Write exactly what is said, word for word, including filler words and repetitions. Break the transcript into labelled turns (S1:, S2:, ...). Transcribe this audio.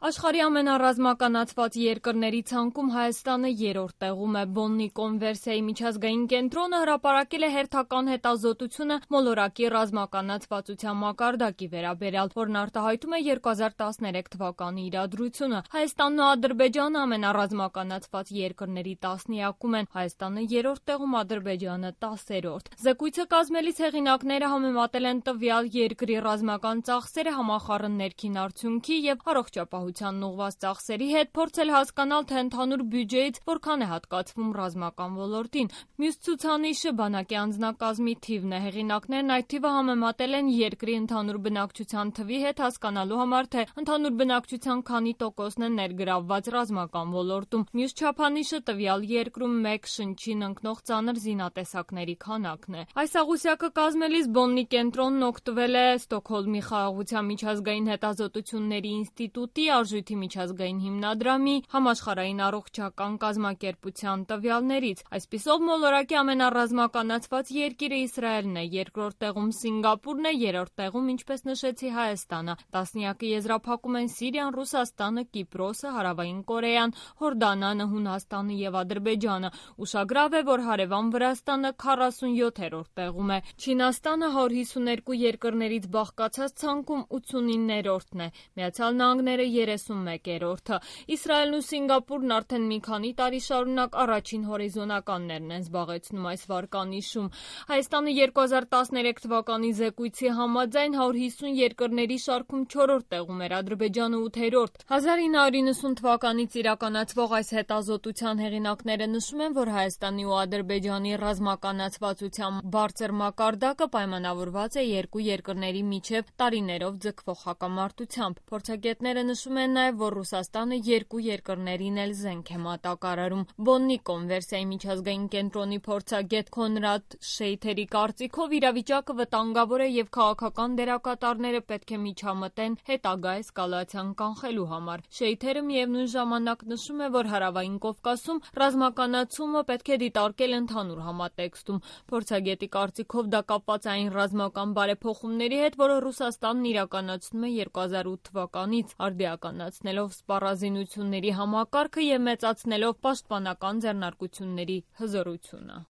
S1: Աշխարհի ամենառազմականացված երկրների ցանկում Հայաստանը երրորդ տեղում է։ Բոննի կոնվերսիայի միջազգային կենտրոնը հրապարակել է հերթական հետազոտությունը մոլորակի ռազմականացվածության մակարդակի վերաբերյալ, որն արտահայտում է երկու հազար տասներեք թվականի իրադրությունը։ Հայաստանն ու Ադրբեջանը ամենառազմականացված երկրների տասնյակում են, Հայաստանը երրորդ տեղում, Ադրբեջանը տասերորդ։ Զեկույցը կազմելիս հեղինակները համեմատել են տվյալ երկրի ռազմական ծախսերը համախառն ներքին արդյունքի և առողջապահությանն ուղղված ծախսերի հետ, փորձել հասկանալ, թե ընդհանուր բյուջեից որքան է հատկացվում ռազմական ոլորտին։ Մյուս ցուցանիշը բանակի անձնակազմի թիվն է։ Հեղինակներն այդ թիվը համեմատել են երկրի ընդհանուր բնակչության թվի հետ, հասկանալու համար, թե ընդհանուր բնակչության քանի տոկոսն է ներգրավված ռազմական ոլորտում։ Մյուս չափանիշը տվյալ երկրում մեկ շնչին ընկնող ծանր զինատեսակների քանակն է։ Այս աղյուսակը կազմելիս Բոննի կենտրոնն օգտվել է Ստոկհոլմի խաղաղության միջազգային հետազոտությունների ինստիտուտի, Արժույթի միջազգային հիմնադրամի, Համաշխարհային առողջական կազմակերպության տվյալներից։ Այսպիսով, մոլորակի ամենառազմականացված երկիրը Իսրայելն է, երկրորդ տեղում Սինգապուրն է, երրորդ տեղում, ինչպես նշեցի, Հայաստանը։ Տասնյակը եզրափակում են Սիրիան, Ռուսաստանը, Կիպրոսը, Հարավային Կորեան, Հորդանանը, Հունաստանը և Ադրբեջանը։ Ուշագրավ է, որ հարևան Վրաստանը քառասունյոթերորդ տեղում է։ Չինաստանը հարյուր հիսուներկու երկրներից բաղկացած ցանկում ութսունիններորդն է, Միացյալ Նահանգները երեսունմեկերորդը։ Իսրայելն ու Սինգապուրն արդեն մի քանի տարի շարունակ առաջին հորիզոնականներն են զբաղեցնում այս վարկանիշում։ Հայաստանը երկու հազար տասներեք թվականի զեկույցի համաձայն հարյուր հիսուն երկրների շարքում չորրորդ տեղում էր, Ադրբեջանը ութերորդ։ հազար ինը հարյուր իննսուն թվականից իրականացվող այս հետազոտության հեղինակները նշում են, որ Հայաստանի ու Ադրբեջանի ռազմականացվածության բարձր մակարդակը պայմանավորված է երկու երկրների միջև տարիներով ձգվող հակամարտությամբ։ Փորձագետները նշում են նաև, որ Ռուսաստանը երկու երկրներին էլ զենք է մատակարարում։ Բոննի կոնվերսիայի միջազգային կենտրոնի փորձագետ Քոնրադ Շեյթերի կարծիքով իրավիճակը վտանգավոր է և քաղաքական դերակատարները պետք է միջամտեն հետագա էսկալացիան կանխելու համար։ Շեյթերը միևնույն ժամանակ նշում է, որ Հարավային Կովկասում ռազմականացումը պետք է դիտարկել ընդհանուր համատեքստում։ Փորձագետի կարծիքով դա կապված է այն ռազմական բարեփոխումների հետ, որը Ռուսաստանն իրականացնում է երկու հազար ութ թվականից, արդիականացնելով սպառազինությունների համակարգը և մեծացնելով պաշտպանական ձեռնարկությունների հզորությունը։